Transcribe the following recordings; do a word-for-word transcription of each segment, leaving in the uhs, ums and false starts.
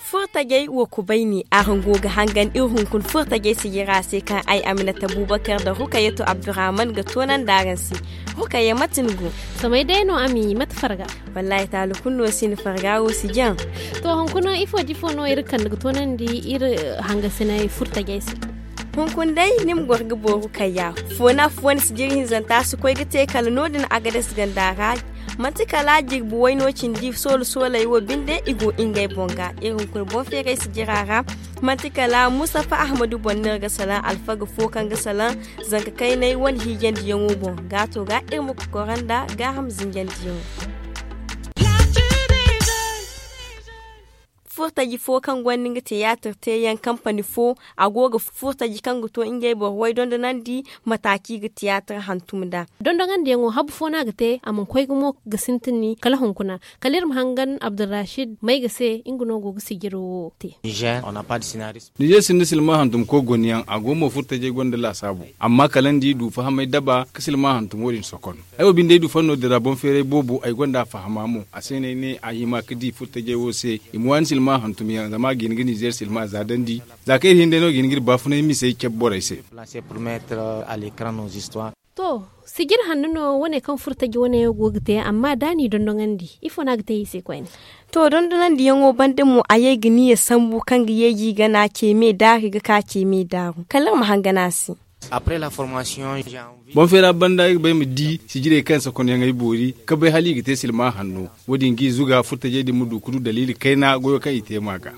Furtajey wo kubayni araŋ go ga hangan iri hunkuna furtajey sijira se kaŋ ay aminata bubakar nda rukayatu abdurrahman ga toonandi araŋ se. Rukaya mate ni go? Samay day no a ma i mate farga. Wallaahi taala kulu no si ni farga wo si jaŋ. To hunkuna ifo da ifo no iri kande ga toonandi iri hangasinay furtajey se? Hunkuna day ni ma goro ga booru kayya. Foona foona sijiri hinzanta si koy ga te kala no- din agades ganda ra. Manti kala jirbi wayno cindi soolu sooley wo binde i go ngey boŋ ga iri hunkuna boŋ feeray sijira ra. Manti kala mustafa ahmadu boŋ no iri ga salaŋ alfaga fo kaŋ ga salaŋ zanka kaynay wane hiijandiyaŋo boŋ gaato ga iri ma kokoro nda gaaham zinjandiyaŋo. Furtaji fo kaŋ gonda nga tiyaatir teeyaŋ kampani fo a go ga furtaji kaŋ ga to ngey boro way dondonandi. Mataaci ga tiyaatir hantum nd'a. Dondonandiyaŋo habu fo no a ga te a mana koy gumo ga sintin kala hunkuna. Kala iri ma hangan abdulrashid may ga se nga no go ga sijiro wo te. Nizer sinda silma hantum koy gonyaŋ a go mo furtajey gonda laasaabu. Amma kala ni di du fahamay daba ka silma hantum wo- din sokon. Ay wo binde ay du fanno din ra boŋ feeray boobo ay gonda a fahama mo a se no ay ne a hima ga di furtajey wo se i ma waani silma hantumyaŋ zama a ga hin ga nizer silma za dandi. Za kaŋ iri hin day no ga hin ga iri baafunay misey cabe borey se. To sijir hanno no wane kaŋ furtaji wane go ga te amma da a n'i dondonandi ifo no a ga te i se koyne? To dondonandiyaŋo banda mo a ye ga niya sambu kaŋ ga yeeji gana ce me daari ga ka ce me daaru kala iri ma hangan a se. Boŋ feera banda ay ga ba ay ma di sijirey kaŋ sakonyaŋ ay boori ga bay hala i ga te silma hanno. Wo- din ga i zuga furtajey din ma du ga du daliili kayna goyo kaŋ i te ma ga.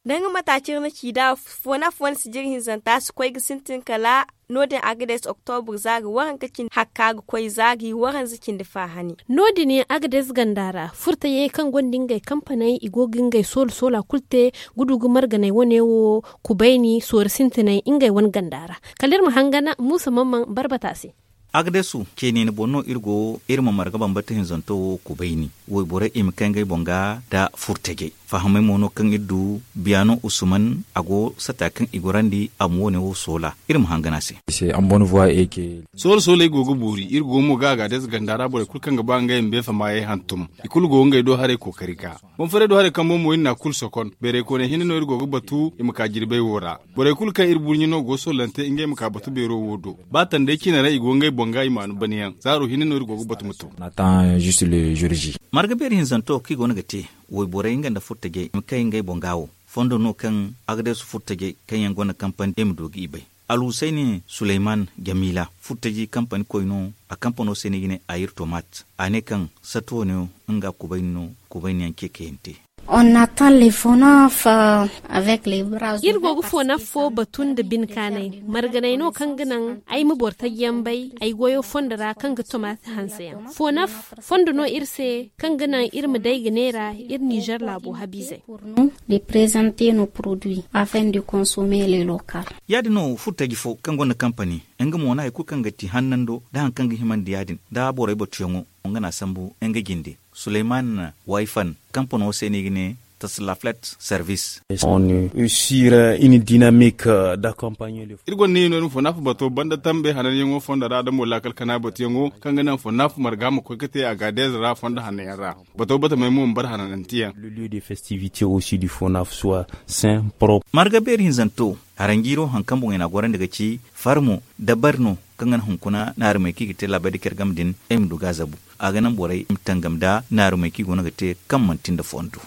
Danga mataaci iri na ci nd'a foona foona sijiri hinzanta si koy ga sintin kala no- din agades oktobur za ga waranka cindi hakka ga koy za ga i waranza cindi faahani. No- din agades ganda ra furtajey kaŋ gonda ngey kampaney i go ga ngey soola soola kulu te ga du ga marganey wane wo kubayni soori sintinay ngey wane ganda ra. Kala iri ma hangan muusa mamman barbata se. Agdesu ceene ni boŋ no iri go iri ma marga bambata hinzanto wo kubayni. Wayborey i ma kay ngey boŋ ga nda furtajey. Fahamay mo no kaŋ iri du biyano usuman a go sata kaŋ i gorandi a ma wo- ne wo soola. Iri ma hangan a se. Soola soola ay go ga boori iri go mo ga agades ganda ra borey kulu kaŋ ga ba ngey ma beefa maayey hantum. I kulu go ga ngey do haray kookari ga. Boŋ feeray do haray kambo mo iri n'a kulu sokon bayray kooney hinne no iri go ga batu i ma ka jirbey wo ra. Borey kulu kaŋ iri burɲe no go ga soolante ngey ma ka batu beero wo do. Ba tanday cine ra i go ngey boŋ ga i maanu banyaŋ zaaro hinne no iri go ga batu ma to. Marga beeri hinzanto kaŋ i go no ga te wayborey nga nda furtajey i ma kay ngey boŋ ga wo. Fondo no kaŋ agdesu furtajey kaŋ yaŋ gonda kampani i ma du ga i bay. Alhusayni suleyman jamila furtaji kampani koy no. A kampano se no i ga ne ayir tomat. A ne kaŋ sato ne nga kubayni no. Kubayni yaŋ ce kayante. Iri go ga fonaf fo batu nda bine kaanay marganay no kaŋ ga naŋ ay ma boro taji yaŋ bay ay goyo fondo ra kaŋ ga tomat hanse yaŋ fonaf fondo no iri se kaŋ ga naŋ iri ma day ga neera iri nizer laabo habiizey. De prezante no produit afin de konsomer le lokal. Ya- din no furtaji fo kaŋ gonda kampani nga mo na hari kulu kaŋ ga ti hannando nda hari kaŋ ga himandi ya- din nda borey batuyaŋo nga no a sambu nga jinde suleyman wayfan kampano se no i ga ne taslaflet service. Sur une dynamique d'accompagner le. Iri gonda ne no fonaf bato banda tambe hananyaŋo fondo ra da mo laakal kana batuyaŋo kaŋ ga naŋ fonaf marga ma koy ga te a ga deeza ra fondo hananyaŋ ra. Bato batamey mo ma bar hanananteyaŋ. Le lieu de festivité aussi du fonaf soit saint propre. Marga beeri hinzanto haranjiiro hari kaŋ boŋey n'a gorandi ga ci farmo dabari no kaŋ ga naŋ hunkuna naarumey kaŋ i ga te laabey da care game din ay ma du ga a zabu. A ga naŋ borey ma tangam nda naarumey kaŋ i go no ga te kaŋ manti nda fondo.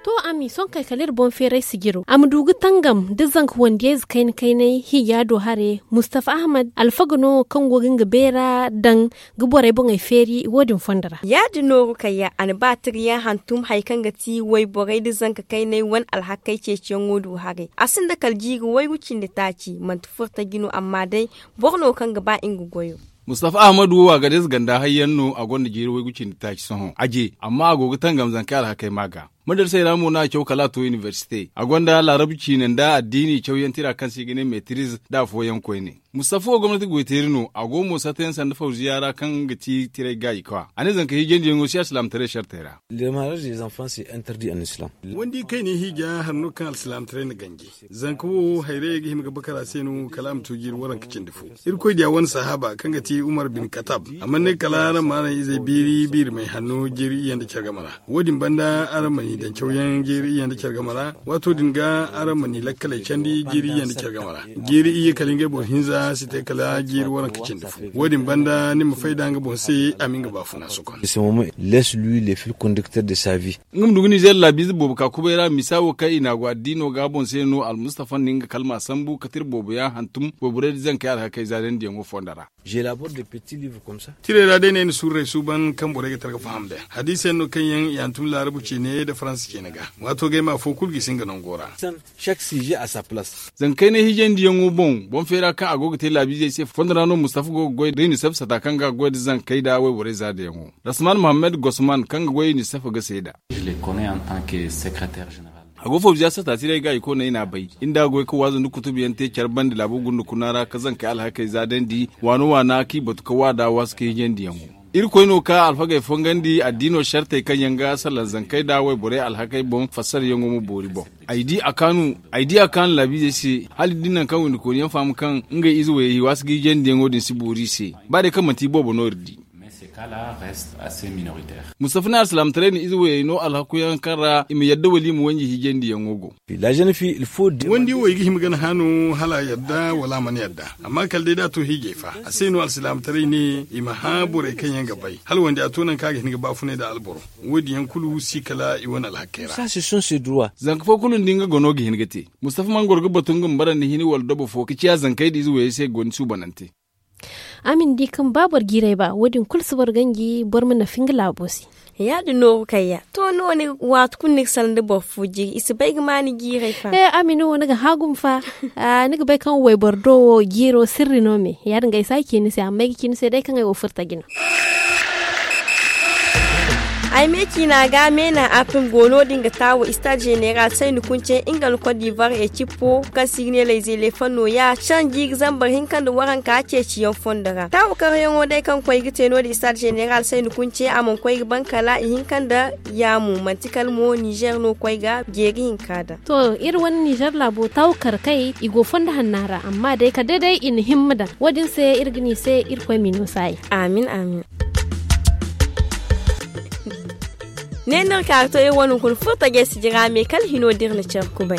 To ami sohõ kay kala iri boŋ feeray sijiro a ma du ga tangam da zanka wandiyayze kayna kaynay hiija do hare mustafa ahmad alfaga no kaŋ go ga nga beera daŋ ga borey boŋey feeri wo- din fondo ra. Ya- din no rukayya a na ba tirayaŋ hantum hari kaŋ ga ti wayborey nda zanka kaynay wane alhakey ceeciyaŋo du haray a sinda kala jiiri waygu cindi taaci manti furtaji no amma day boro no kaŋ ga ba nga goyo. Mustafa ahmadu wo a ga deeza ganda hayyaŋ no a gonda jiiri waygu cindi taaci sohõ a je amma a go ga tangam zankey alhakey ma ga. Madarsey ra mo no a caw kala a to inibersite, a gonda laarabu ciine nda addiini cawyaŋ tira kaŋ se i ga ne metiriz nda afooyaŋ koyne. Mustafa wo gomnati goyteeri no, a go mo satta yaŋ sanda fawziya ra kaŋ ga ti tiray gaayi kwa. A ne zanka hiijandiyaŋo si alsilaamataray sartey ra. Wandi kayna hiija hari no kaŋ alsilaamataray na ganji. Zanka wo hayrayey ga hima ga bakar a se no kala a ma to jiiri waranka cindi fo. Irkoy diya wane sahaaba kaŋ ga ti umar bin katab, a mana ne kala araŋ ma araŋ izey biiri biiri may hanno jiiri iyye nda care game ra. Wo- din banda araŋ ma n'i daŋ cawyaŋ jiiri iyye nda care game ra. Waato din ga araŋ ma n'i lakkaley candi jiiri iyye nda care game ra. Jiiri iyye kala ngey boro hinza si te kala jiiri waranka cindi fo. Wo- din banda ni ma fay da nga boŋ se a ma nga baafuna sokon. Nga ma du ga nizeer laabiize boobo ka kubay ra misa wo kaŋ i n'a go addiino ga boŋ se no almustafa na nga kalma sambu ka tira boobo yaŋ hantum wayborey da zankey alhakey zaadandiyaŋo fondo ra. Tiray ra day no ay na suuru ra ay suuban kaŋ borey ga tara ga faham nd'a hadiisa yaŋ no kaŋ yaŋ i hantum laarabu ceene nda faransa ceene ga. Waato ga ay ma afo kulu gisi nga nango ra. Zankey ne hiijandiyaŋo boŋ boŋ feera kaŋ a go ga te laabiizey se fondo ra no mustafa go ga goy da unicef sata kaŋ ga goy da zankey nda wayborey zaadayaŋo. Rasman mohammed gosman kaŋ ga goy unicef ga seeda. A go fawziya sata tiray ga i kooney n'a bay. Iri nda a goy ga waazu nda kutubuyaŋ te care bande laabo gunda kuna ra ka zankey alhakey zaadandi waana waana kaŋ i batu ga waada waasu ka hiijandiyaŋo. Irkoy no ka alfagey fongandi addiino sartey kaŋ yaŋ ga salaŋ zankey nda wayborey alhakey boŋ fassarayaŋo ma boori boŋ. Ay di a kaanu laabiizey se hala iri di nangu kaŋ windikooni yaŋ faham kaŋ ngey ize wayey i waasu ga hiijandiyaŋo din si boori i se. Ba day kaŋ manti i boobo no iri di. Mustafa ne alsilaamataray na ize wayey no alhaku yaŋ kaŋ ra i ma yadda wala i ma wanji hiijandiyaŋo go. Wandi wo i ga hima ga ni hano hala a yadda wala a mana yadda. Amma kala day da a to hiijay fa a se no alsilaamataray ne i ma hã borey kaŋ yaŋ ga bay hala wandi a to nangu kaŋ a ga hin ga baafunay nda alboro. Wo- din yaŋ kulu si kala i wane alhakey ra. Zanka fo kulu nda nga gano ga hin ga te. Mustafa mana goro ga batu nga ma barandi hini wala dobo fo ga ciya zankey nda ize wayey se ga gondi suubanante. A ma ni di kaŋ ba boro jiiray ba wo- din kulu si boro ganji boro ma nafa nga laabo se. Ya- din no ga kayya to ni wo ni ga waati kulu ni ga salaŋ da boro fo jiiri i si bay ga ma ni jiiray fa. He a ma ni wo ni ga hã gumo fa. Ni ga bay kaŋ wayboro do wo jiiro sirri no me ya- din ga ay si a ci ni se amma ay ga ci ni se day kaŋ ay wo furo taji no. Ay me ciina ga meena apim go no- din ga taawo istaad zeneral sayni kunce nga nda kot divar ekippo kaŋ se i ga ne layze leefan nooya sanji ga zambar hinka nda waranka ceeciyaŋ fondo ra taawo karyaŋo day kaŋ koy ga te no- din istaad zeneral sayni kunce a mana koy ga ban kala ihinka nda yaamu manti kala mo nizer no koy ga jeeri hinka daŋ. To iri wane nizer laabo taawo kar kay i go fondo hanna ra amma day kala day day i na himma daŋ wo- din se iri ga ne i se irkoy m'i no saayi. Amin amin. Ne no iri ka ga to iri wane hunkuna furo tajey sijira me kala hino da iri na care kubay.